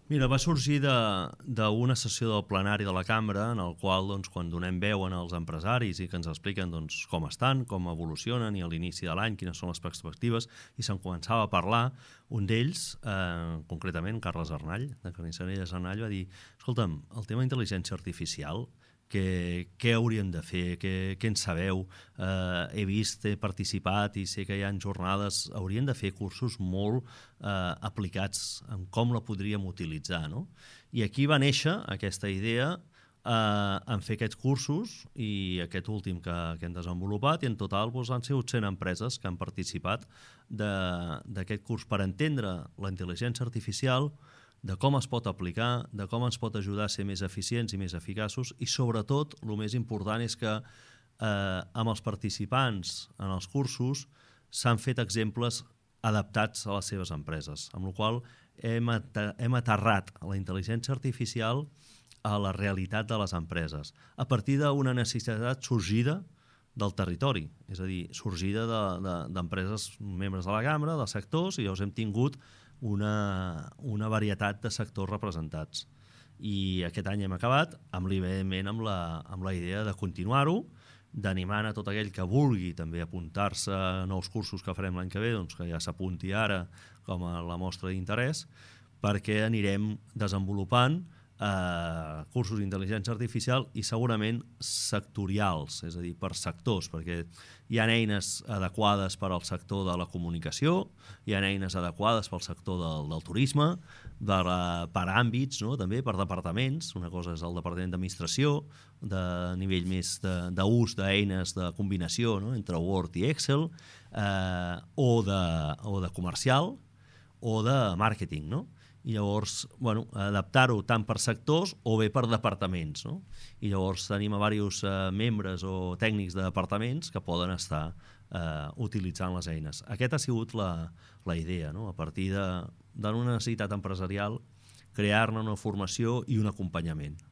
Mira, va sorgir d'una sessió del plenari de la cambra en el qual, doncs, quan donem veu als empresaris i que ens expliquen doncs, com estan, com evolucionen i a l'inici de l'any quines són les perspectives, i se'n començava a parlar, un d'ells, concretament Carles Arnall, de Carnisseries Arnall, va dir: escolta'm, el tema d'intel·ligència artificial, què hauríem de fer, què en sabeu, he vist, he participat i sé que hi ha jornades, hauríem de fer cursos molt aplicats en com la podríem utilitzar, no? I aquí va néixer aquesta idea en fer aquests cursos, i aquest últim que hem desenvolupat, i en total doncs, han sigut 100 empreses que han participat d'aquest curs per entendre la intel·ligència artificial, de com es pot aplicar, de com ens pot ajudar a ser més eficients i més eficaços, i sobretot, el més important és que amb els participants en els cursos s'han fet exemples adaptats a les seves empreses, amb la qual cosa hem aterrat la intel·ligència artificial a la realitat de les empreses, a partir d'una necessitat sorgida del territori, és a dir, sorgida d'empreses membres de la cambra, dels sectors, i llavors hem tingut una varietat de sectors representats. I aquest any hem acabat evidentment amb la idea de continuar-ho, d'animar a tot aquell que vulgui també apuntar-se a nous cursos que farem l'any que ve, doncs que ja s'apunti ara com a la mostra d'interès, perquè anirem desenvolupant cursos d'intel·ligència artificial i segurament sectorials, és a dir, per sectors, perquè hi ha eines adequades per al sector de la comunicació, hi ha eines adequades pel sector del turisme, per àmbits, no? També per departaments. Una cosa és el departament d'administració, de nivell més d'ús d'eines de combinació, no? Entre Word i Excel, o de comercial, o de màrqueting, no? I llavors, adaptar-ho tant per sectors o bé per departaments, no? I llavors tenim a diversos membres o tècnics de departaments que poden estar utilitzant les eines. Aquesta ha sigut la idea, no? A partir d'una necessitat empresarial, crear-ne una formació i un acompanyament.